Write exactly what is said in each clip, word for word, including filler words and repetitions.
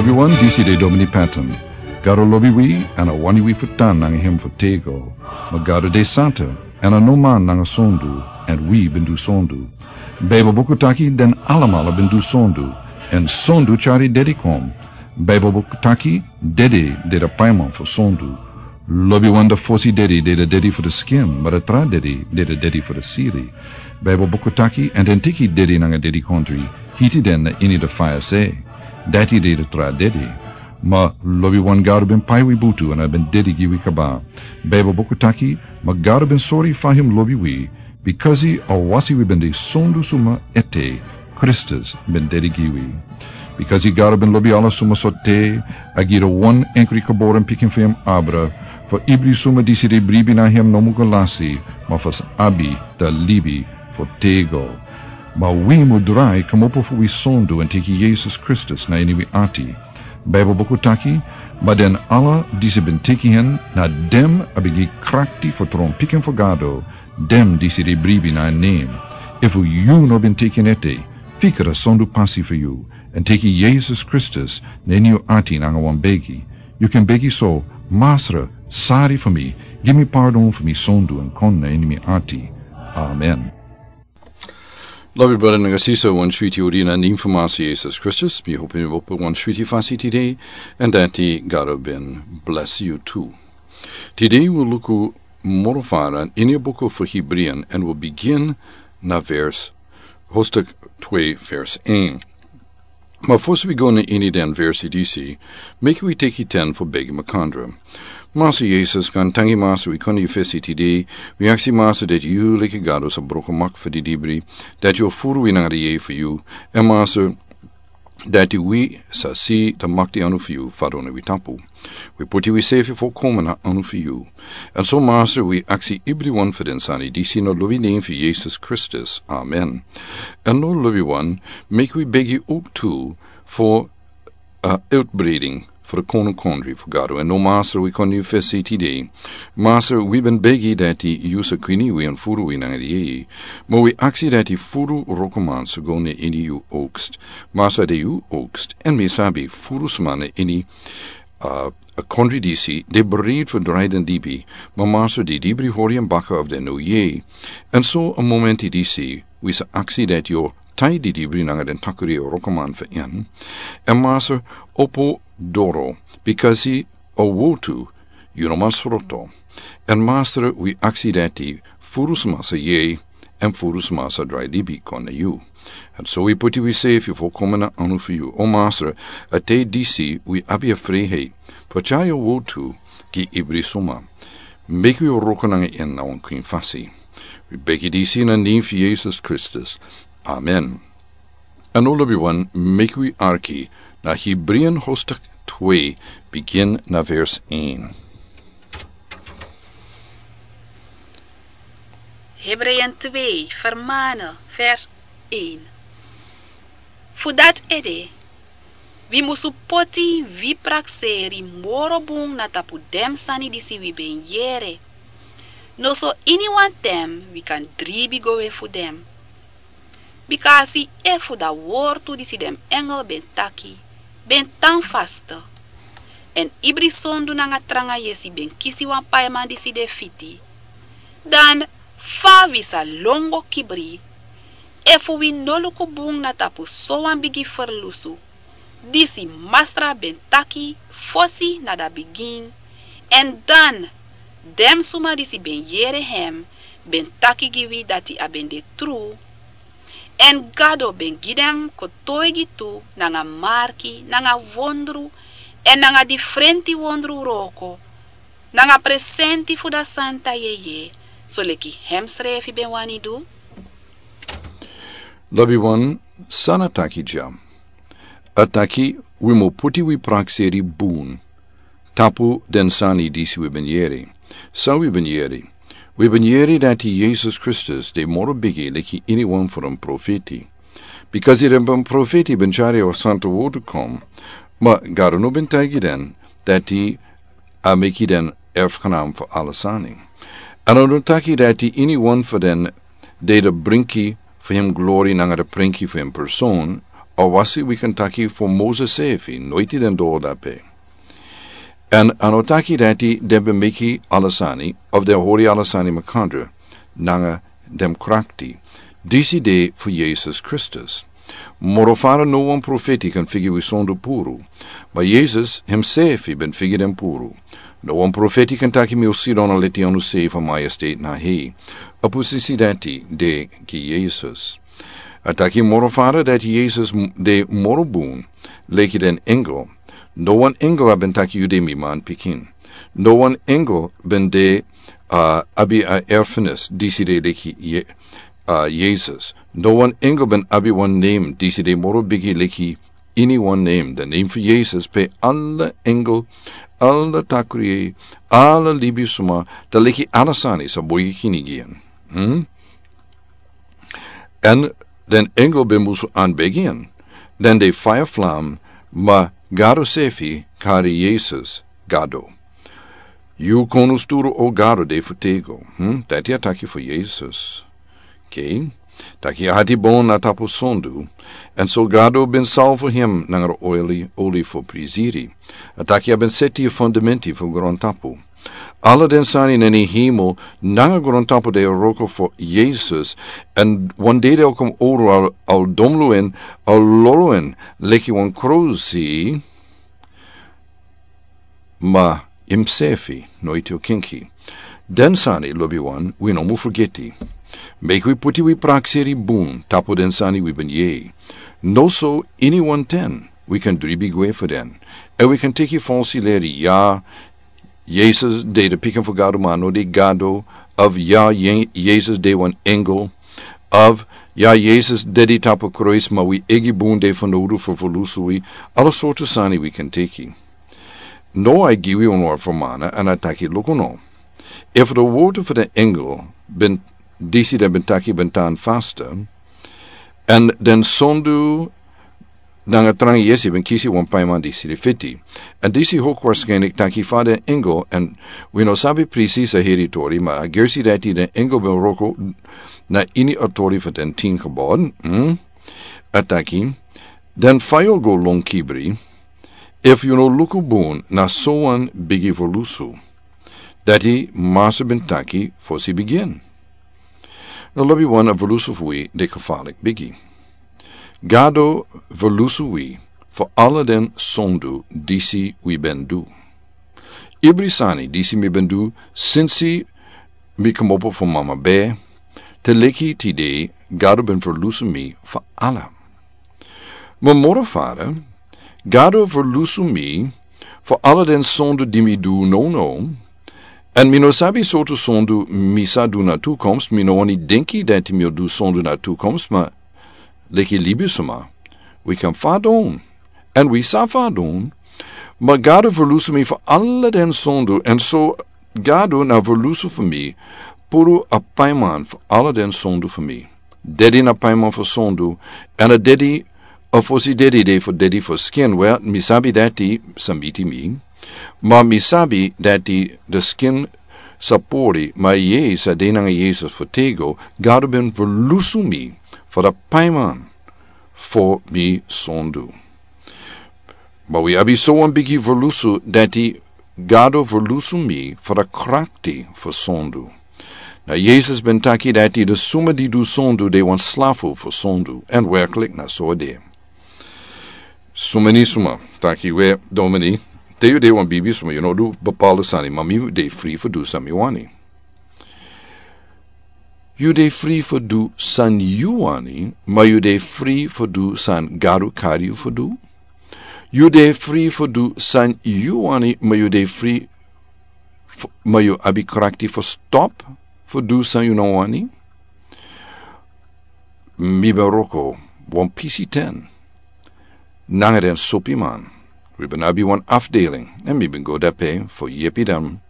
Wi wan disi de Domini Patton. Gado lobi wi, èn a wani wi fu tan nanga hem fu tego. Ma Gado de santa, èn a no man nanga sondu, èn wi ben du sondu. Baibel buku taki den alamala ben du sondu, èn sondu tyari dedi kon. Baibel buku taki dedi de de paiman fu sondu. Lobi wan de fosi dedi de de dedi fu de skin, ma de tra dedi de de dedi fu de siri. Baibel buku taki, èn den teki dedi nanga dedi kontri, hiti den na ini de faya se. Dati de de tra dedi. Ma lobi wan Gado ben pai wi butu èn a ben dedi gi wi kaba. Baibel buku taki, ma Gado ben sori fa hem lobi wi, bikasi a wasi wi ben de sondu suma ete, Kristus ben dedi gi wi. Bikasi Gado ben lobi ala suma so te, a gi de wan enkri geboren pikin fu hem abra, fu ibri suma disi de bribi na hem no mu go lasi, ma fu abi de libi fu tego. Ma wi mu drai kmopo fu wi sondu èn teki Yesus Kristus na ini wi ati. Baibel buku taki, ma den ala disi ben teki hen, na dem a ben gi krakti fu tron pikin fu Gado, dem disi de bribi na en nen. Efu yu no ben teki en ete, fika de sondu pasi fu yu, èn teki Yesus Kristus na ini yu ati nanga wan begi. Yu kan begi so, Masra, sari fu mi, gi mi pardon fu mi sondu èn kon na ini mi ati. Amen. Lobi brada nanga sisa, wan switi odi na nen fu Masra Yesus Kristus, mi hopi mi opo wan switi fasi tide, èn dati Gado ben bless yu tu. Tide wi luku moro fara ini a buku fu Hibrian, èn wi bigin na vers, hoofdstuk twee, vers een. Ma fosi wi go na ini den versi disi, meki wi teki ten fu begi makandra. Masra Yesus, gaantangi Masra, wi kon na yu fesi tide, wi aksi Masra dati yu leki Gado sa broko mak fu didibri, dati yu o furu wi nanga de yeye fu yu, èn Masra, dati wi sa si de makti anu fu yu fadon na wi tapu. Wi poti wi sefi folkomen na anu fu yu. Èn so Masra, wi aksi ibriwan fu den sani disi na lobi nen fu Yesus Kristus. Amen. Èn no lobiwan, meki wi begi uk tu fu a, eh, uitbreiding fu de kono kondri fu Gado. Èn no Masra, wi kon na yu fesi tide. Masra, wi ben begi dati yu sa kwini wi èn furu wi nanga de yeye. Ma wi aksi dati furu wrokoman sa go na ini yu oogst. Masra, de yu oogst, èn mi sabi furu sma na ini, eh, a kondri disi, de bereid fu drai den libi, ma Masra, didibri hori en baka efu den no yeye. Èn so a momenti disi, wi sa aksi dati yu o tai didibri nanga den takri wrokoman fu en. Èn Masra, opo doro, bikasi a wotu, yu no man sroto. Èn Masra, wi aksi dati furu sma sa yeye, èn furu sma sa drai libi kon na yu. Èn so wi poti wi sefi folkomen na anu fu yu. O Masra, a tide disi wi abi a friheit fu tyari a wotu gi ibri suma. Meki wi wroko nanga en na wan kwin fasi. Wi begi disi na nen fu Yesus Kristus. Amen. Èn no lobiwan, meki wi arki na Hibrian hoofdstuk twee, bigin na vers een. Hebreeën twee, vermanen, vers een. Fu dati ede, wi musu poti wi prakseri moro bun na tapu den sani disi wi ben yere. Noso iniwan ten wi kan dribi go we fu den. Bika a si efu da wortu disi den engel ben taki, ben tan faste. Èn ibri sondu nanga tranga yesi ben kisi wan paiman disi de fiti. Dan fa wi sa lon go kibri, efu wi no luku bun na tapu sowan bigi ferlusu, disi Masra ben taki fosi na da bigin, èn dan den suma disi ben yere hem ben taki gi wi dati a ben de tru. Èn Gado ben gi den kotoigi tu nanga marki, nanga wondru, èn nanga difrenti wondru wroko, nanga presenti fu da santa yeye, soleki hemsrefi ben wani du. Lobiwan, san a taki dya? A taki wi mu poti wi prakseri bun tapu den sani disi wi ben yere. San wi ben yere? Wi ben yere dati Yesus Kristus de moro bigi leki iniwan fu den profeti. Bika den ben profeti ben tyari a santa wotu kon, ma Gado no ben taigi den dati a meki den erfgenaam fu ala sani. Èn a no taki dati iniwan fu den de de brinki fu hem glori nanga de prenki fu hem person, Awasi wi kan taki fu Moses sefi, noiti den doro dape. Èn a no taki dati den ben meki ala sani, of den hori ala sani makandra, nanga den krakti. Disi de fu Yesus Kristus. Moro fara no wan profeti kan figi wi sondu puru. Ma Yesus himsefi ben figi den puru. No wan profeti kan taki mi o sidon a leti anu sefi a majestate na hei. A posisi dati de gi Yesus. A taki moro fara dati Yesus m-, de moro bun, leki den engel. No wan engel a ben taki yu de mi man pikin. No wan engel ben de, a, abi a erfenis, disi de leki Ye-, a, Yesus. No wan engel ben abi wan name, disi de moro bigi leki ini wan name. De name fu Yesus pe ala engel, ala takri, ala libisuma, ta leki ala sani sa boigi kini gi en. Hmm? Èn den engel ben musu anbegi en. Den de faya flam, ma Gado sefi kari Yesus Gado. Yu kon un sturu o Gado de fu tego. Hmm? Dati a taki fu Yesus. Ke? Taki a hati bon na tapu sondu. Èn so Gado ben salfu hem nanga oli, oli fu prisiri. A taki a ben seti a fundamenti fu grontapu. Ala den sani neni himo nanga grontapu de wroko fu Yesus, èn wan dei de o kon oro al, al domlu en, al lolo en, leki wan krosi, ma himsefi, noiti o kinki. Den sani, lobi wan, wi no mu furgeti. Meki wi puti wi prakseri bun, tapu den sani wi ben yei. No so ini wan ten, wi kan dribi gwe fu den. Èn wi kan teki falsi leri, ya, Yesus de de pikin fu Gado ma a no de Gado, of ya, Ye-, Yesus de wan engel, of ya, Yesus dedi tapu kruis ma wi egi bun de fu nodu fu fu lusu wi, ala sortu sani wi kan teki. No a gi wi wan wan fu mana, èn a taki luku no. Efu de wortu fu den engel, ben disi den ben taki ben tan fasta, èn den sondu nanga tranga yesi ben kisi wan paiman disi de fiti. Èn disi hok waarschijnlijk taki fa den engel, èn wi no sabi precies a heri tori, ma a gersi dati den engel ben wroko na ini a tori fu den tin kabod, hmm? A taki, den fayo go lon kibri, efu yu no luku bun na so wan bigi fu lusu. Dati Masa ben taki fosi bigin. No lobi wan a verlusu fu wi de kafalik bigi. Gado verlusu wi fu ala den sondu disi wi ben du. Ibri sani disi mi ben du sinsi mi komopo fu mama be, te leki tide Gado ben verlusu mi fu ala. Ma moro fara, Gado verlusu mi fu ala den sondu di mi du no no, èn mi no sabi sortu sondu mi sa du na tukomst, mi no wani denki dati mi o du sondu na tukomst, ma leki libisuma, wi kan fadon, èn wi sa fadon, ma Gado verlusu mi fu ala den sondu, èn so Gado na verlusu fu mi, puru a paiman fu ala den sondu fu mi. Dedi na paiman fu sondu, èn a dedi a fosi dedi de fu dedi fu skin, wel, mi sabi dati sa miti mi. Ma mi sabi dati de skin sa pori, ma yei sa de nanga Yesus fu tego, Gado ben verlusu mi fu da paiman fu mi sondu. Ma wi abi so wan bigi verlusu dati Gado verlusu mi fu da krakti fu sondu. Na Yesus ben taki dati de suma di du sondu de wan slafu fu sondu, èn werklik na so de. Suma ni suma, taki we domini, te yu de wan bibi suma yu no du bapala sani, ma mi de fri fu du san mi wani. Yu de fri fu du san yu wani, ma yu de fri fu du san Gado kari yu fu du. Yu de fri fu du san yu wani, ma yu de fri fu, ma yu abi krakti fu stop fu du san yu no wani. Mi ben wroko wan pisi ten nanga den sopiman. Wi ben abi wan afdeling, èn mi ben go dape fu yepi den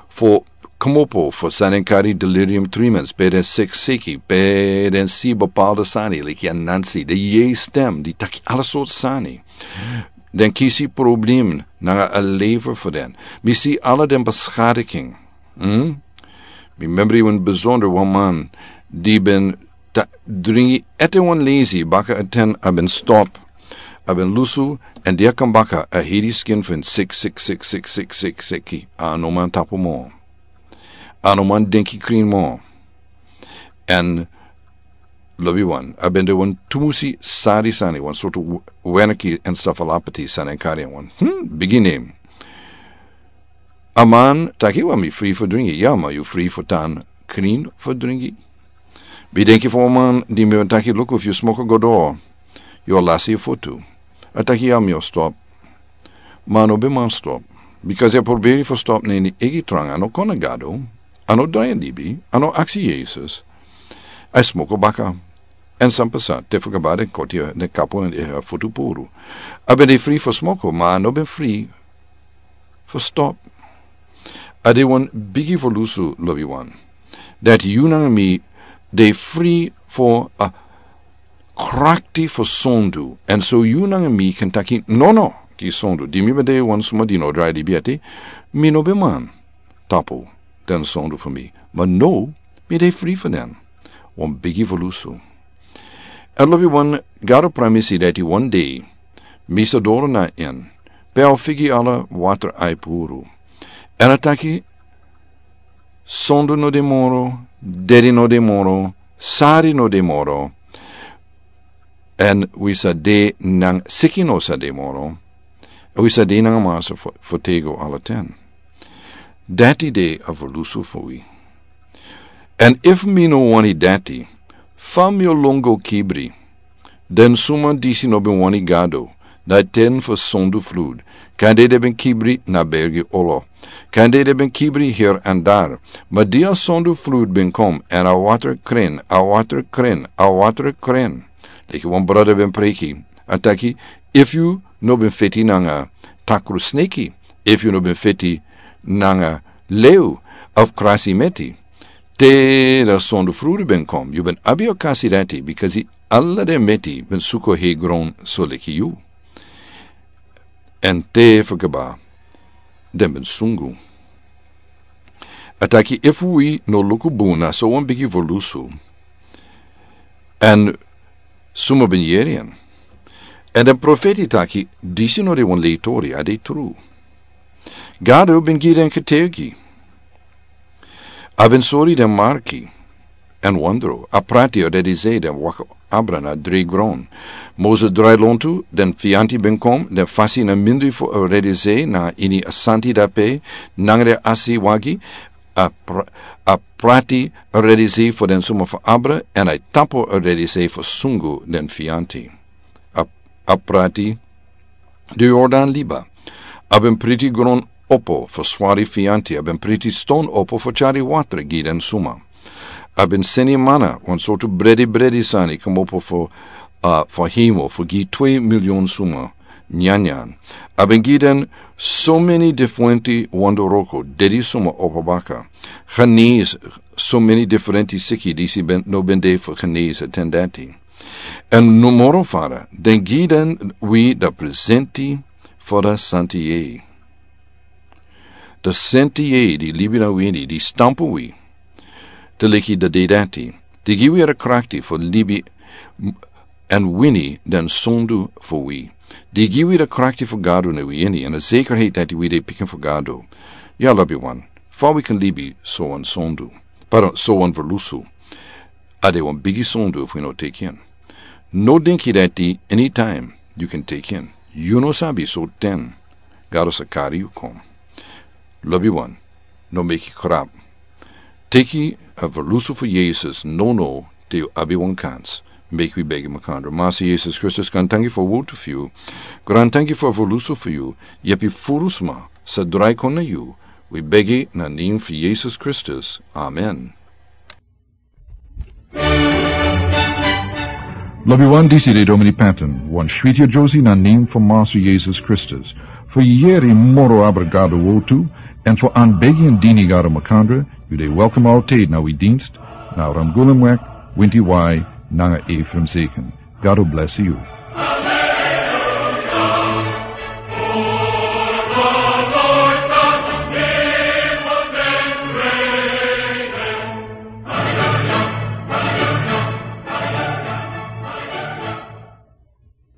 fu komopo fu san den kari delirium tremens, pe den sekseki, pe den si bapala sani leki anansi, den yei stem di taki ala sortu sani. Den kisi problem nanga a lever fu den. Mi si ala den beschadiging. Hmm? Mi memri wan besonder wan man di ben ta dringi ete wan lesi baka a ten a ben stop. A ben lusu, en dia kan baka a hedi skin fu en sik sik sik sik sik sik siki a no man tapu mo. A no man denki krin mo. En lobi wan a ben de wan tumusi sari sani wan sortu weneki en safalapati sani en kari en wan hmm, bigi nem. A man taki wan mi fri fu dringi ya ma yu fri fu tan krin fu dringi. Bi denki fu wan man di mi ben taki luku fu yu smoko godo. Yu o lasi yu futu. A taki ya mi o stop. Ma a no ben man stop. Bikasi a proberi fu stop na ini egi tranga a no kon na gado. A no drai en libi a no aksi yesus. A smoko baka. En san pasa te fu kabari en koti den kapu en e a futu puru. A ben de fri fu smoko ma a no ben fri fu stop. A de wan bigi fu lusu lobi wan. Dati yu nanga mi de fri fu a krakti fu sondu en so yu nanga mi kan taki nono. Ki sondu di mi ben de wan suma di no drai libi ati. Mi no ben man tapu den sondu fu mi. Ma no mi de fri fu den. Wan bigi fu lusu. A lobi wan gado pramisi dati wan dei mi sa doro na en pe a o figi ala water ai puru. An a taki sondu no de moro, dedi no de moro, sari no de moro. An wi sa de nanga siki no sa de moro. Wi sa de nanga masa fu tego ala ten. Dati de a volusu fu wi. An efu mi no wani dati fa mi o longo kibri. Den suma disi no ben wani gado na ten fu sondu flud. Kande de ben kibri na bergi olo. Kande de ben kibri hir an dar. Ma di a sondu flud ben kom an a water kren a water kren a water kren. Leki wan brada ben preki a taki efu yu no ben feti nanga takru sneki efu yu no ben feti nanga leu of krasi meti. Te da sondu fruri ben kom yu ben abi o kasi dati bikasi ala den meti ben suko hei gron so leki yu. An te fu kaba den ben sungu. A taki efu wi no luku bun na so wan bigi volusu. An suma ben yeri en. An den profeti taki disi no de wan leitori a de tru. Gado ben gi den ketegi. A ben sori den marki. An wandro a prati o dedi zei den waka abra na dri gron. Moses drai lontu den fianti ben kom den fasi na mindri fu o dedi zei na ini a santi dape. Nangre asi wagi a prati a redisi fu den suma fu abra an a tapu a redisi fu sungu den fianti. A prati di yordan liba. A ben priti gron opo fu swari fianti a ben priti ston opo fu cari watra gi den suma. A ben seni mana wan sortu bredi bredi sani komopo fu a fu himo fu gi twe milion suma. Nyanyan a ben gi den so meni diferenti wandoroko dedi suma opo baka. Hanis so meni diferenti siki disi ben no ben de fu hanis a ten dati. An numoro fara den gi den wi da presenti fu da santi yei. Da santi yei di libi na wini di stampu wi. Te leki da de dati di gi wi a da krakti fu libi an wini den sondu fu wi. Di gi wi da krakti fu gado na wi ini an a zekerheit dati wi de pikin fu gado. Ya lobi wan fa wi kan libi so wan sondu. Pardon so wan verlusu. A de wan bigi sondu fu yu no teki en. No dinki dati anytime yu kan teki en. Yu no sabi so ten gado sa kari yu kon. Lobi wan no meki krap. Teki a verlusu fu yesus no no te yu abi wan kans. Meki wi begi makandra masa yesus kristus gran tanki fu a wotu fu yu. Gran tanki fu a verlusu fu yu. Yepi furu sma sa drai kon na yu. Wi begi na nin fu yesus kristus. Amen. Lobi wan disi de domini paten wan switi a josi na nin fu masu yesus kristus. Fu yeri moro abra gado wotu an fu an begi an dini gado makandra. Yu de welkom alteid na wi dinst na ramgulum wek winti wai nanga efrem seken. Gado blesi yu.